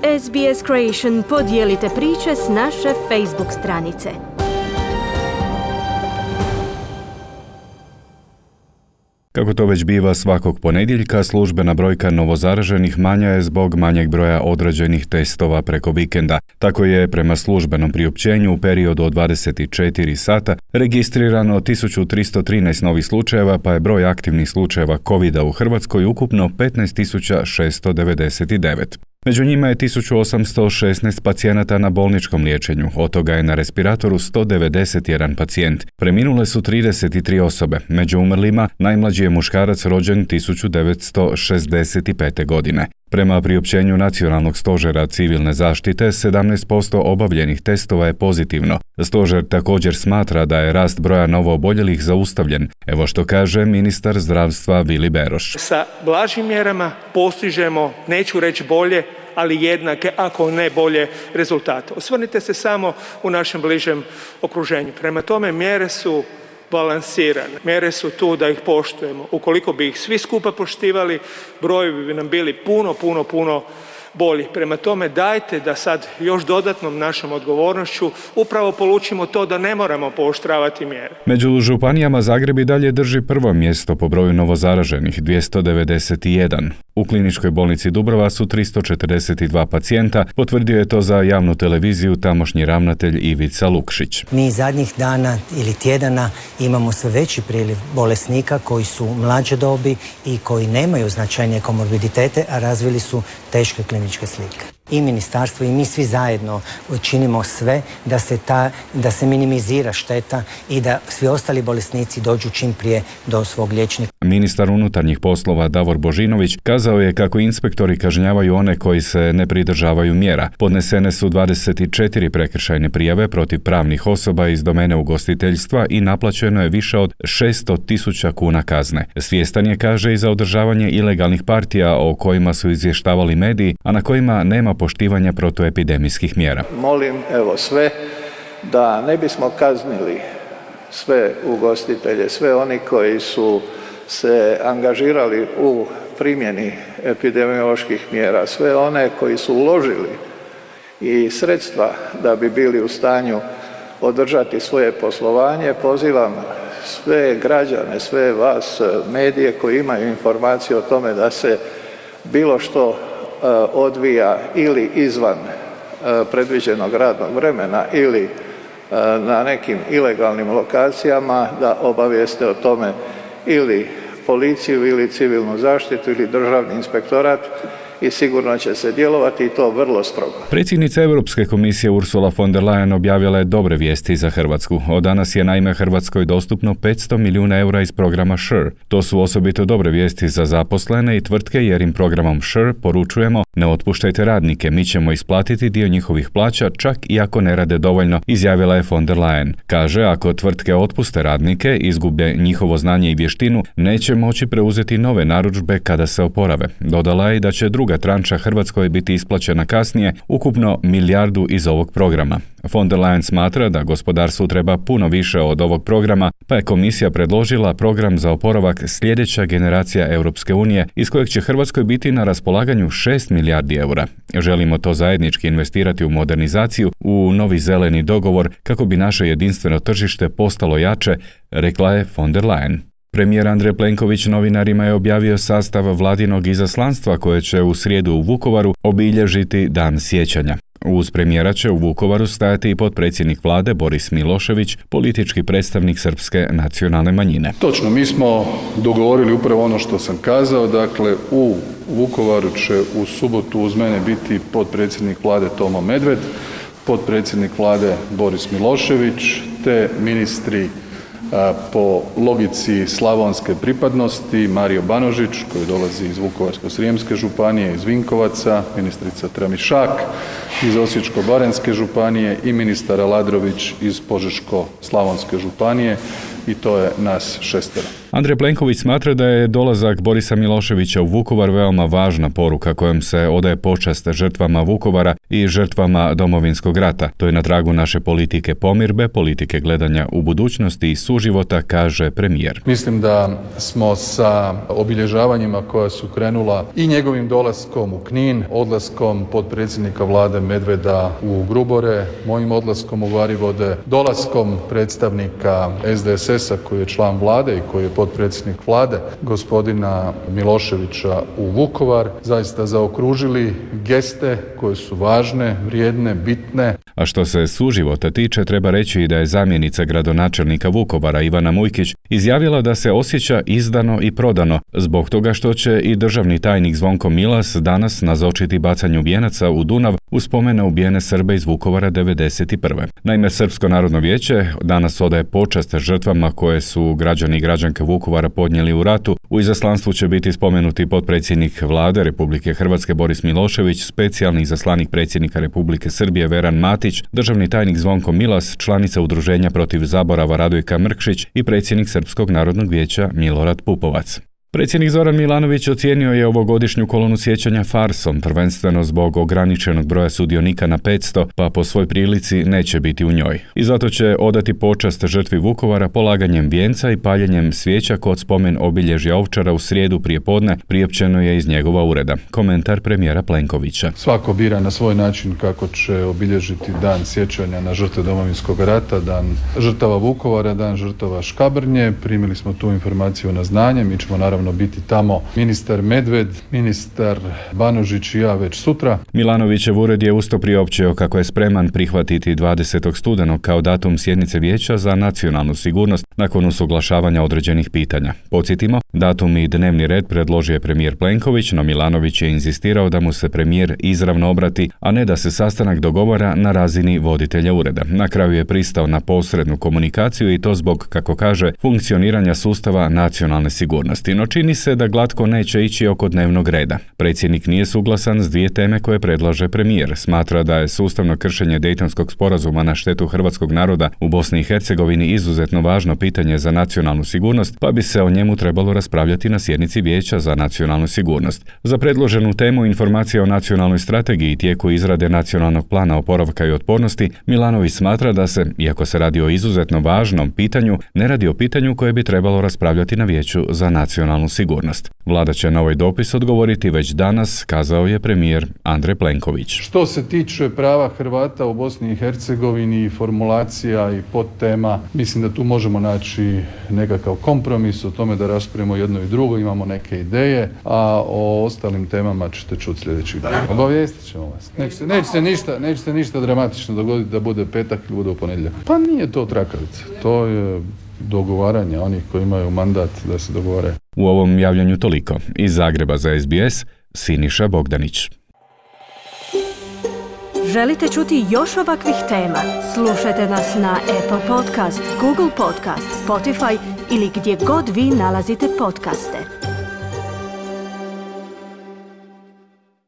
SBS Creation podijelite priče s naše Facebook stranice. Kako to već biva svakog ponedjeljka, službena brojka novozaraženih manja je zbog manjeg broja odrađenih testova preko vikenda. Tako je prema službenom priopćenju u periodu od 24 sata registrirano 1313 novih slučajeva, pa je broj aktivnih slučajeva COVID-a u Hrvatskoj ukupno 15.699. Među njima je 1816 pacijenata na bolničkom liječenju, od toga je na respiratoru 191 pacijent. Preminule su 33 osobe, među umrlima najmlađi je muškarac rođen 1965. godine. Prema priopćenju Nacionalnog stožera civilne zaštite, 17% obavljenih testova je pozitivno. Stožer također smatra da je rast broja novooboljelih zaustavljen. Evo što kaže ministar zdravstva Vili Beroš. Sa blažim mjerama postižemo, neću reći bolje, ali jednake, ako ne bolje, rezultate. Osvrnite se samo u našem bližem okruženju. Prema tome, mjere su balansirane. Mjere su tu da ih poštujemo. Ukoliko bi ih svi skupa poštivali, brojevi bi nam bili puno bolji. Prema tome, dajte da sad još dodatnom našom odgovornošću upravo polučimo to da ne moramo pooštravati mjere. Među županijama Zagreb i dalje drži prvo mjesto po broju novozaraženih, 291. U kliničkoj bolnici Dubrava su 342 pacijenta, potvrdio je to za javnu televiziju tamošnji ravnatelj Ivica Lukšić. Mi zadnjih dana ili tjedana imamo sve veći priliv bolesnika koji su mlađe dobi i koji nemaju značajnije komorbiditete, a razvili su teške kliničke slike. I ministarstvo i mi svi zajedno činimo sve da se minimizira šteta i da svi ostali bolesnici dođu čim prije do svog liječnika. Ministar unutarnjih poslova Davor Božinović kazao je kako inspektori kažnjavaju one koji se ne pridržavaju mjera. Podnesene su 24 prekršajne prijave protiv pravnih osoba iz domene ugostiteljstva i naplaćeno je više od 600.000 kuna kazne. Svjestan je, kaže, i za održavanje ilegalnih partija o kojima su izvještavali mediji, a na kojima nema poštivanja protuepidemijskih mjera. Molim sve da ne bismo kaznili sve ugostitelje, sve oni koji su se angažirali u primjeni epidemioloških mjera, sve one koji su uložili i sredstva da bi bili u stanju održati svoje poslovanje. Pozivam sve građane, sve vas, medije koji imaju informacije o tome da se bilo što odvija ili izvan predviđenog radnog vremena ili na nekim ilegalnim lokacijama, da obavijeste o tome ili policiju ili civilnu zaštitu ili državni inspektorat i sigurno će se djelovati i to vrlo strogo. Predsjednica Europske komisije Ursula von der Leyen objavila je dobre vijesti za Hrvatsku. Od danas je naime Hrvatskoj dostupno 500 milijuna eura iz programa SURE. To su osobito dobre vijesti za zaposlene i tvrtke jer im programom SURE poručujemo: ne otpuštajte radnike, mi ćemo isplatiti dio njihovih plaća čak i ako ne rade dovoljno, izjavila je von der Leyen. Kaže, ako tvrtke otpuste radnike, izgube njihovo znanje i vještinu, neće moći preuzeti nove narudžbe kada se oporave. Dodala je da će druga tranča Hrvatskoj biti isplaćena kasnije, ukupno milijardu iz ovog programa. Von der Leyen smatra da gospodarstvu treba puno više od ovog programa, pa je komisija predložila program za oporavak sljedeća generacija Europske unije, iz kojeg će Hrvatskoj biti na raspolaganju 6 milijardi eura. Želimo to zajednički investirati u modernizaciju, u novi zeleni dogovor, kako bi naše jedinstveno tržište postalo jače, rekla je von der Leyen. Premijer Andrej Plenković novinarima je objavio sastav vladinog izaslanstva koje će u srijedu u Vukovaru obilježiti Dan sjećanja. Uz premijera će u Vukovaru stajati i potpredsjednik vlade Boris Milošević, politički predstavnik srpske nacionalne manjine. Točno, mi smo dogovorili upravo ono što sam kazao, dakle u Vukovaru će u subotu uz mene biti potpredsjednik vlade Tomo Medved, potpredsjednik vlade Boris Milošević te ministri po logici slavonske pripadnosti Mario Banožić koji dolazi iz Vukovarsko-srijemske županije, iz Vinkovaca, ministrica Tramišak iz Osječko-baranjske županije i ministar Aladrović iz Požeško-slavonske županije i to je nas 6. Andrej Plenković smatra da je dolazak Borisa Miloševića u Vukovar veoma važna poruka kojom se odaje počast žrtvama Vukovara i žrtvama Domovinskog rata. To je na tragu naše politike pomirbe, politike gledanja u budućnosti i suživota, kaže premijer. Mislim da smo sa obilježavanjima koja su krenula i njegovim dolaskom u Knin, odlaskom potpredsjednika vlade Medveda u Grubore, mojim odlaskom u Varivode, dolaskom predstavnika SDSS-a koji je član vlade i koji je potpredsjednik vlade, gospodina Miloševića u Vukovar, zaista zaokružili geste koje su važne, vrijedne, bitne. A što se suživota tiče, treba reći i da je zamjenica gradonačelnika Vukovara Ivana Mujkić izjavila da se osjeća izdano i prodano zbog toga što će i državni tajnik Zvonko Milas danas nazočiti bacanju vijenaca u Dunav u spomen na ubijene Srbe iz Vukovara 1991. Naime, Srpsko narodno vijeće danas odaje počast žrtvama koje su građani i građanke Vukovara podnijeli u ratu. U izaslanstvu će biti spomenuti potpredsjednik vlade Republike Hrvatske Boris Milošević, specijalni izaslanik predsjednika Republike Srbije Veran Matić, državni tajnik Zvonko Milas, članica Udruženja protiv zaborava Radojka Mrkšić i predsjednik Srpskog narodnog vijeća Milorad Pupovac. Predsjednik Zoran Milanović ocijenio je ovogodišnju kolonu sjećanja farsom, prvenstveno zbog ograničenog broja sudionika na 500, pa po svoj prilici neće biti u njoj. I zato će odati počast žrtvi Vukovara polaganjem vijenca i paljenjem svijeća kod spomen obilježja Ovčara u srijedu prijetopodne, priopćeno je iz njegova ureda. Komentar premijera Plenkovića. Svako bira na svoj način kako će obilježiti dan sjećanja na žrtve Domovinskog rata, dan žrtava Vukovara, dan žrtava Škabrnje. Primili smo tu informaciju na znanje, mi ćemo naravno biti tamo ministar Medved, ministar Banožić i ja već sutra. Milanovićev ured je usto priopćio kako je spreman prihvatiti 20. studenog kao datum sjednice Vijeća za nacionalnu sigurnost nakon usuglašavanja određenih pitanja. Podsjetimo, datum i dnevni red predložio je premijer Plenković, no Milanović je inzistirao da mu se premijer izravno obrati, a ne da se sastanak dogovara na razini voditelja ureda. Na kraju je pristao na posrednu komunikaciju i to zbog, kako kaže, funkcioniranja sustava nacionalne sigurnosti. No čini se da glatko neće ići oko dnevnog reda. Predsjednik nije suglasan s dvije teme koje predlaže premijer. Smatra da je sustavno kršenje Dejtonskog sporazuma na štetu hrvatskog naroda u Bosni i Hercegovini izuzetno važno pitanje za nacionalnu sigurnost, pa bi se o njemu trebalo raspravljati na sjednici Vijeća za nacionalnu sigurnost. Za predloženu temu informacija o nacionalnoj strategiji i tijeku izrade nacionalnog plana oporavka i otpornosti, Milanović smatra da se, iako se radi o izuzetno važnom pitanju, ne radi o pitanju koje bi trebalo raspravljati na Vijeću za nacionalnu sigurnost. Vlada će na ovaj dopis odgovoriti već danas, kazao je premijer Andrej Plenković. Što se tiče prava Hrvata u Bosni i Hercegovini, formulacija i podtema, mislim da tu možemo naći nekakav kompromis o tome da raspravimo jedno i drugo, imamo neke ideje, a o ostalim temama ćete čuti sljedećih dana. Obavijestit ćemo vas. Neće se ništa dramatično dogoditi da bude petak ili bude u ponedjeljak. Pa nije to trakavica, to je dogovaranje onih koji imaju mandat da se dogovore. U ovom javljanju toliko. Iz Zagreba za SBS, Siniša Bogdanić. Želite čuti još ovakvih tema? Slušajte nas na Apple Podcast, Google Podcast, Spotify ili gdje god vi nalazite podcaste.